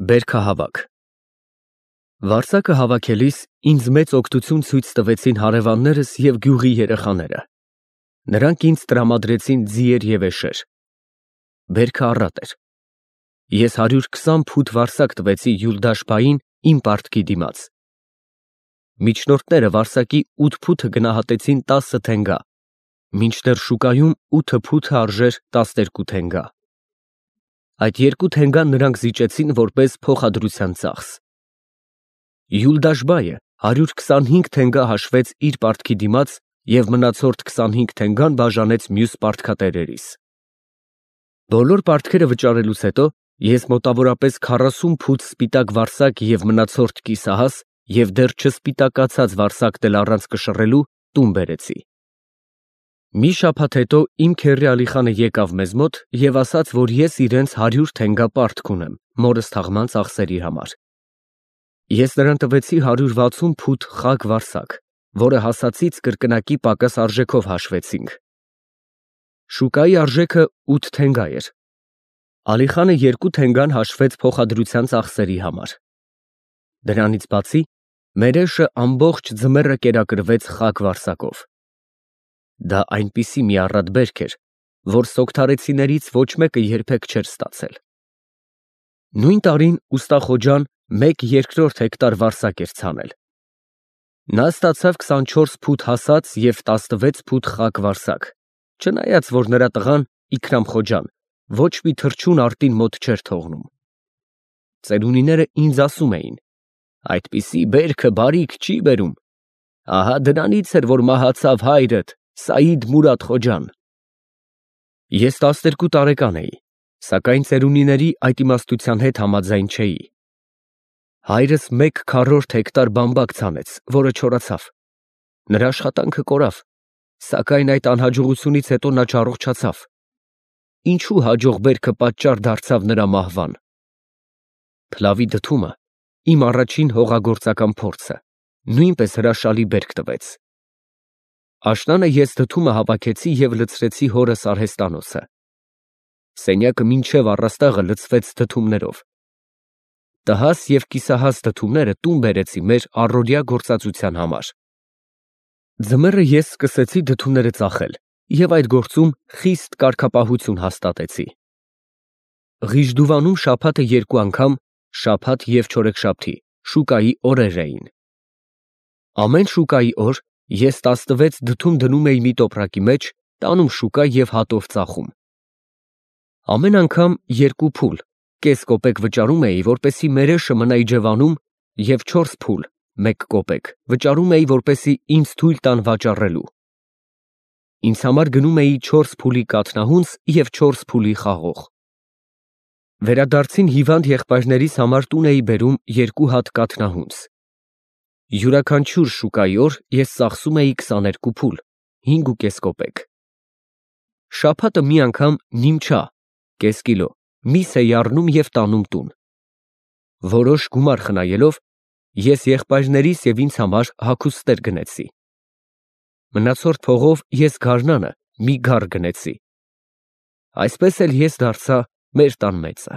Բերքահավաք Վարսակը հավաքելիս ինձ մեծ օգնություն ցույց տվեցին հարևաններս և գյուղի երեխաները։ Նրանք ինձ տրամադրեցին ձիեր և էշեր։ Բերքը առատ էր։ Ես 120 փութ վարսակ տվեցի Յուլդաշ֊փային իմ պարտքի դիմաց։ Միջնորդները վարսակի 8 փութը գնահատեցին 10 թենգա, մինչդեռ շուկայում 8 փութը արժեր 12 թենգա։ Այդ 2 թենգան նրանք զիջեցին որպես փոխադրության ծախս։ Յուլդաշ֊բայը 125 թենգա հաշվեց իր պարտքի դիմաց և մնացորդ 25 թենգան բաժանեց մյուս պարտքատերերիս։ Բոլոր պարտքերը վճարելուց հետո ես մոտավորապես 40 փութ սպիտակ վարսակ և մնացորդ կիսահաս և դեռ չսպիտակացած վարսակն էլ առանց կշռելու տուն բերեցի։ Մի շաբաթ հետո իմ քեռի Ալիխանը եկավ մեզ մոտ և ասաց, որ ես իրենց 100 թենգա պարտք ունեմ մորս թաղման ծախսերի համար։ Ես նրան տվեցի 160 փութ խագ վարսակ, որը հասածից կրկնակի պակաս արժեքով հաշվեցինք։ Շուկայի արժեքը 8 թենգա էր։ Ալիխանը 2 թենգան հաշվեց փոխադրության ծախսերի համար։ Դրանից բացի մեր էշը ամբողջ ձմեռը կերակրվեց խագ վարսակով։ Դա այնպիսի մի առատ բերք էր, որ սոկթարեցիներից ոչ մեկը երբեք չէր ստացել։ Նույն տարին ուստա Խոջան 1/2 հեկտար վարսակ էր ցանել։ Նա ստացավ 24 փութ հասած և 16 փութ խագ վարսակ, չնայած որ նրա տղան Իքրամ Խոջան ոչ մի թռչուն արտին մոտ չէր թողնում։ Ծերունիները ինձ ասում էին. «Այդպիսի բերքը բարիք չի բերում։ Ահա դրանից էր, որ մահացավ հայրդ Սայիդ Մուրադ Խոջան»։ Ես 12 տարեկան էի, սակայն ծերունիների այդ իմաստության հետ համաձայն չէի։ Հայրս 1/4 հեկտար բամբակ ցանեց, որը չորացավ։ Նրա աշխատանքը կորավ, սակայն այդ անհաջողությունից հետո նա չառողջացավ։ Ինչու հաջող բերքը պատճառ դարձավ նրա մահվան։ Փլավի դդումը, իմ առաջին հողագործական փորձը, նույնպես հրաշալի բերք տվեց։ Աշնանը ես դդումը հավաքեցի և լցրեցի հորս արհեստանոցը։ Սենյակը մինչև առաստաղը լցվեց դդումներով։ Տհաս և կիսահաս դդումները տուն բերեցի մեր առօրյա գործածության համար։ Ձմեռը ես սկսեցի դդումները ծախել և այդ գործում խիստ կարգապահություն հաստատեցի։ Ղիշդուվանում շաբաթը 2 անգամ, շաբաթ և չորեքշաբթի, շուկայի օրեր էին։ Ամեն շուկայի օր ես 16 դդում դնում էի մի տոպրակի մեջ, տանում շուկա և հատով ծախում։ Ամեն անգամ 2 փուլ, կես կոպեկ վճարում էի, որպեսզի մեր էշը մնա իջևանում և 4 փուլ, 1 կոպեկ վճարում էի, որպեսզի ինձ թույլ տան վաճառելու։ Ինձ համար գնում էի 4 փուլի կաթնահունձ և 4 փուլի խաղող։ Վերադարձին հիվանդ եղբայրներիս համար տուն էի բերում 2 հատ կաթնահունձ։ Յուրաքանչյուր շուկայի օր ես ծախսում էի 22 փուլ, 5.5 կոպեկ։ Շաբաթը մի անգամ նիմչա (կես կիլո) միս էի առնում և տանում տուն։ Որոշ գումար խնայելով ես եղբայրներիս և ինձ համար հագուստներ գնեցի։ Մնացորդ փողով ես գարնանը մի գար գնեցի։ Այսպես էլ ես դարձա մեր տան մեծը։